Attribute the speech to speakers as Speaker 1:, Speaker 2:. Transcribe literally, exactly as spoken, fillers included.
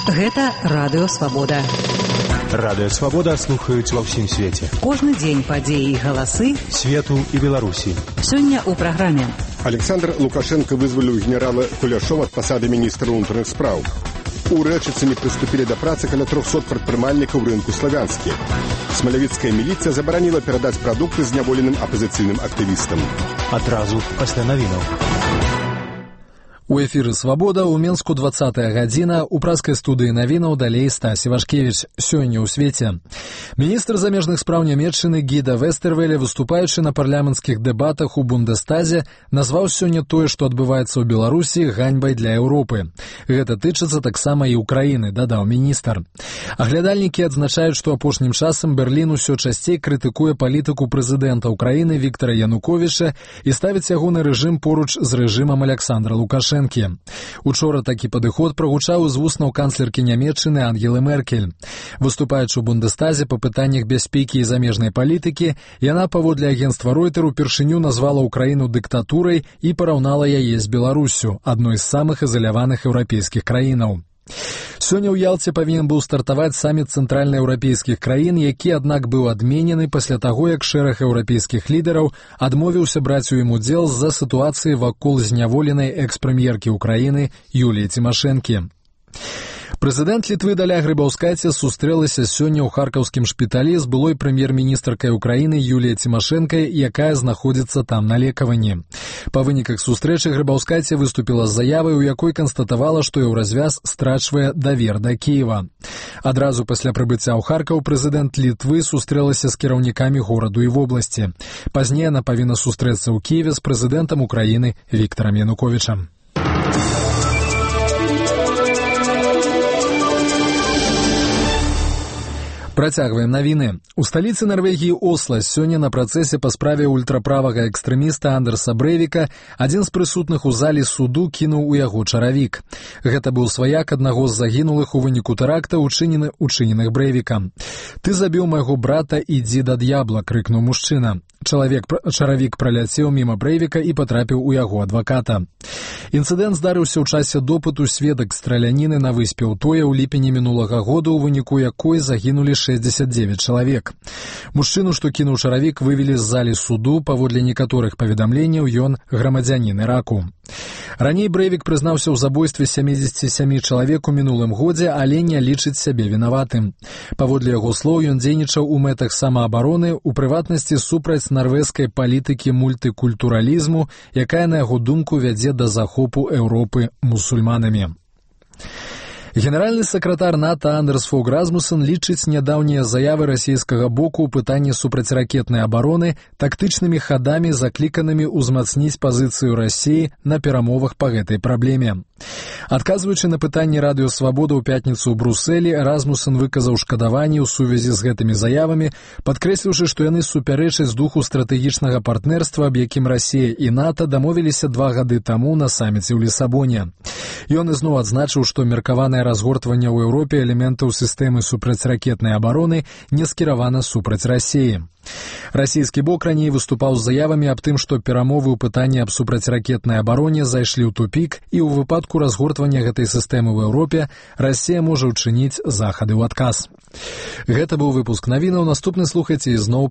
Speaker 1: Гэта Радыё Свабода.
Speaker 2: Радыё Свабода слухаюць ва ўсім свеце.
Speaker 1: Кожны дзень падзеі і галасы
Speaker 2: свету і Беларусі.
Speaker 1: Сёння ў праграме.
Speaker 3: Александр Лукашенко вызваліў генерала Куляшова ад пасады міністра ўнутраных спраў. У Рэчыцыне прыступілі да працы каля трохсот прадпрымальнікаў рынку Славянскі. Смалявіцкая міліцыя забараніла перадаць прадукты зняволеным апазіцыйным актывістам.
Speaker 2: Адразу пасля навінаў.
Speaker 4: У эфіры «Свабода» ў Менску двадцатая гадзіна, у праскай студыі навінаў далей Стась Івашкевіч. Сёння ў свеце. Міністр замежных спраў Нямецчыны Гіда Вестэрвеле, выступаючы на парламенцкіх дэбатах у Бундестазе, назваў сёння тое, што адбываецца ў Беларусі, ганьбай для Еўропы. Гэта тычыцца таксама і ўкраіны, дадаў міністр. Аглядальнікі адзначаюць, што апошнім часам Берлін усё часцей крытыкуе палітыку прэзідэнта ўкраіны Віктара Януковіча і ставіць ягоны рэжым поруч з рэжымам Александра Лукашенка. Учора такі падыход прагучаў з вуснаў канцлеркі Нямецчыны Ангелы Меркель. Выступаючы ў Бундестазе па пытаннях бяспекі і замежнай палітыкі, яна, паводле агенцтва Ройтер, упершыню назвала ўкраіну дыктатурай і параўнала яе з Беларуссю, адной з самых ізаляваных еўрапейскіх краінаў. Сёння ў Ялце павінен быў стартаваць саміт цэнтральнаеўрапейскіх краін, які, аднак, быў адменены пасля таго, як шэраг еўрапейскіх лідараў адмовіўся браць у ім удзел з-за сітуацыі вакол зняволенай экс-прэм'еркі ўкраіны Юліі Цімашэнкі. Прэзідэнт Літвы Даля Грыбаўскайце сустрэлася сёння ў харкаўскім шпіталі з былой прэм'ер-міністркай Украіны Юліяй Цімашэнкай, якая знаходзіцца там на лекаванні. Па выніках сустрэчы Грыбаўскайце выступіла з заявай, у якой канстатавала, што еўразвяз страчвае давер да Кіева. Адразу пасля прыбыцця ў Харкаў прэзідэнт Літвы сустрэлася з кіраўнікамі гораду і вобласці. Пазней яна павінна сустрэцца ў Кіеве з прэзідэнтам Украіны Віктарам Януковічам. Працягваем навіны. У сталіцы Нарвегіі Осла сёння на працэсе па справе ультраправага экстрэміста Андерса Брэйвіка адзін з прысутных у залі суду кінуў у яго чаравік. Гэта быў сваяк аднаго з загінулых у выніку тэракта, учынены учыненых Брэйвікам. «Ты забіў майго брата, ідзі да д'ябла», — крыкнуў мужчына. Чалавек чаравік праляцеў міма Брэйвіка і патрапіў у яго адваката. Інцыдэнт здарыўся ў часе допыту сведак страляніны на выспе Утоя ў ліпені мінулага года, у выніку якой загінулі шэсцьдзесят дзевяць чалавек. Мужчыну, што кінуў чаравік, вывелі з залі суду. Паводле некаторых паведамленняў, ён грамадзянін Іраку. Раней Брэйвік прызнаўся ў забойстве сямідзесяці сямі чалавек у мінулым годзе, але не лічыць сябе вінаватым. Паводле яго слоў, ён дзейнічаў у мэтах самаабароны, у прыватнасці супраць нарвежскай палітыкі мультыкультуралізму, якая, на яго думку, вядзе да захопу Еўропы мусульманамі. Генеральны сакратар НАТО Андерс Фог Расмуссен лічыць нядаўнія заявы расійскага боку ў пытанні супрацьракетнай абароны тактычнымі хадамі, закліканымі ўзмацніць пазіцыю Расіі на перамовах па гэтай праблеме. Адказваючы на пытанні Радыё Свабода ў пятніцу ў Брусэлі, Расмуссен выказаў шкадаванне ў сувязі з гэтымі заявамі, падкрэсліўшы, што яны супярэчаць духу стратэгічнага партнерства, аб якім Расія і НАТО дамовіліся два гады таму на саміце ў Лісабоне. Ён ізноў адзначыў, што меркаванае разгортванне ў Еўропе элементаў сістэмы супрацьракетнай абароны не скіравана супраць Расіі. Расійскі бок раней выступаў з заявамі аб тым, што перамовы ў пытанні аб супрацьракетнай абароне зайшлі ў тупік, і ў выпадку разгортвання гэтай сістэмы ў Еўропе Расія можа ўчыніць захады ў адказ. Гэта быў выпуск навінаў. Наступны слухайце ізноў